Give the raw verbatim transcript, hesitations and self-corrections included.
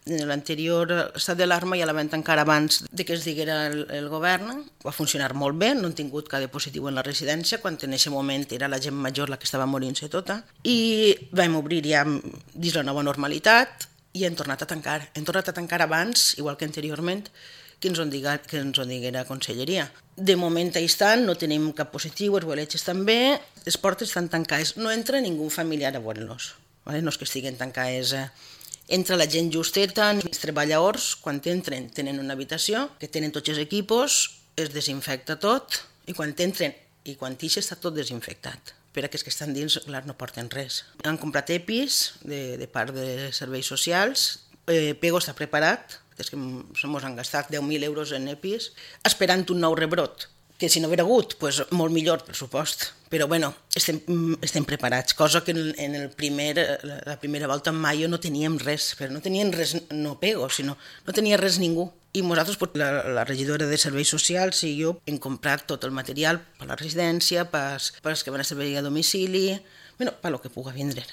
L'anterior estat d'alarma ja la vam tancar abans de que es diguera el, el govern. Va funcionar molt bé, no hem tingut cap positiu en la residència, quan en aquest moment era la gent major la que estava morint-se tota. I vam obrir ja dins la nova normalitat i hem tornat a tancar. Hem tornat a tancar abans, igual que anteriorment, que ens ho diguera, que ens ho diguera Conselleria. De moment a instant no tenim cap positiu, els boletges també, les portes estan tancades, no entra ningú familiar a veure-los, vale? No és que estiguen tancades. Eh? Entra la gent justeta, els treballadors, quan entren tenen una habitació, que tenen tots els equipos, es desinfecta tot, i quan entren i quan ix està tot desinfectat. Per a que els que estan dins, clar, no porten res. Han comprat EPIs de, de part de serveis socials, eh, Pego està preparat, és que ens han gastat deu mil euros en EPIs, esperant un nou rebrot, que si no haguera hagut, pues, molt millor pressupost. Però bueno, estem, estem preparats, cosa que en, en el primer, la primera volta en maio no teníem res, però no teníem res, no Pego, sinó no tenia res ningú. I nosaltres, pues, la, la regidora de Serveis Socials i jo hem comprat tot el material per la residència, per, per els que van a servei a domicili, bueno, per lo que pugui vindre.